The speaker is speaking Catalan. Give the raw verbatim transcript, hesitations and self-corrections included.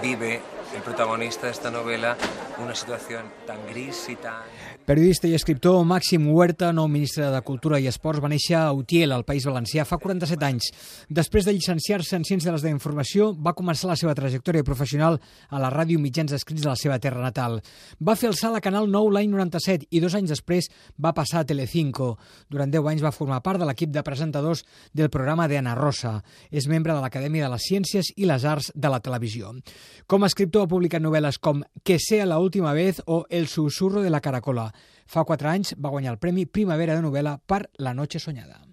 vive el protagonista de esta novela una situación tan gris y tan... Periodista i escriptor Màxim Huerta, nou ministre de Cultura i Esports, va néixer a Utiel, al País Valencià, fa quaranta-set anys. Després de llicenciar-se en Ciències de la Informació, va començar la seva trajectòria professional a la ràdio i mitjans escrits de la seva terra natal. Va fer el salt a Canal nou l'any noranta-set i dos anys després va passar a Telecinco. Durant deu anys va formar part de l'equip de presentadors del programa de Ana Rosa. És membre de l'Acadèmia de les Ciències i les Arts de la Televisió. Com a escriptor ha publicat novel·les com Que sea la última vez o El susurro de la caracola. Fa quatre anys va guanyar el Premi Primavera de novel·la per La noche soñada.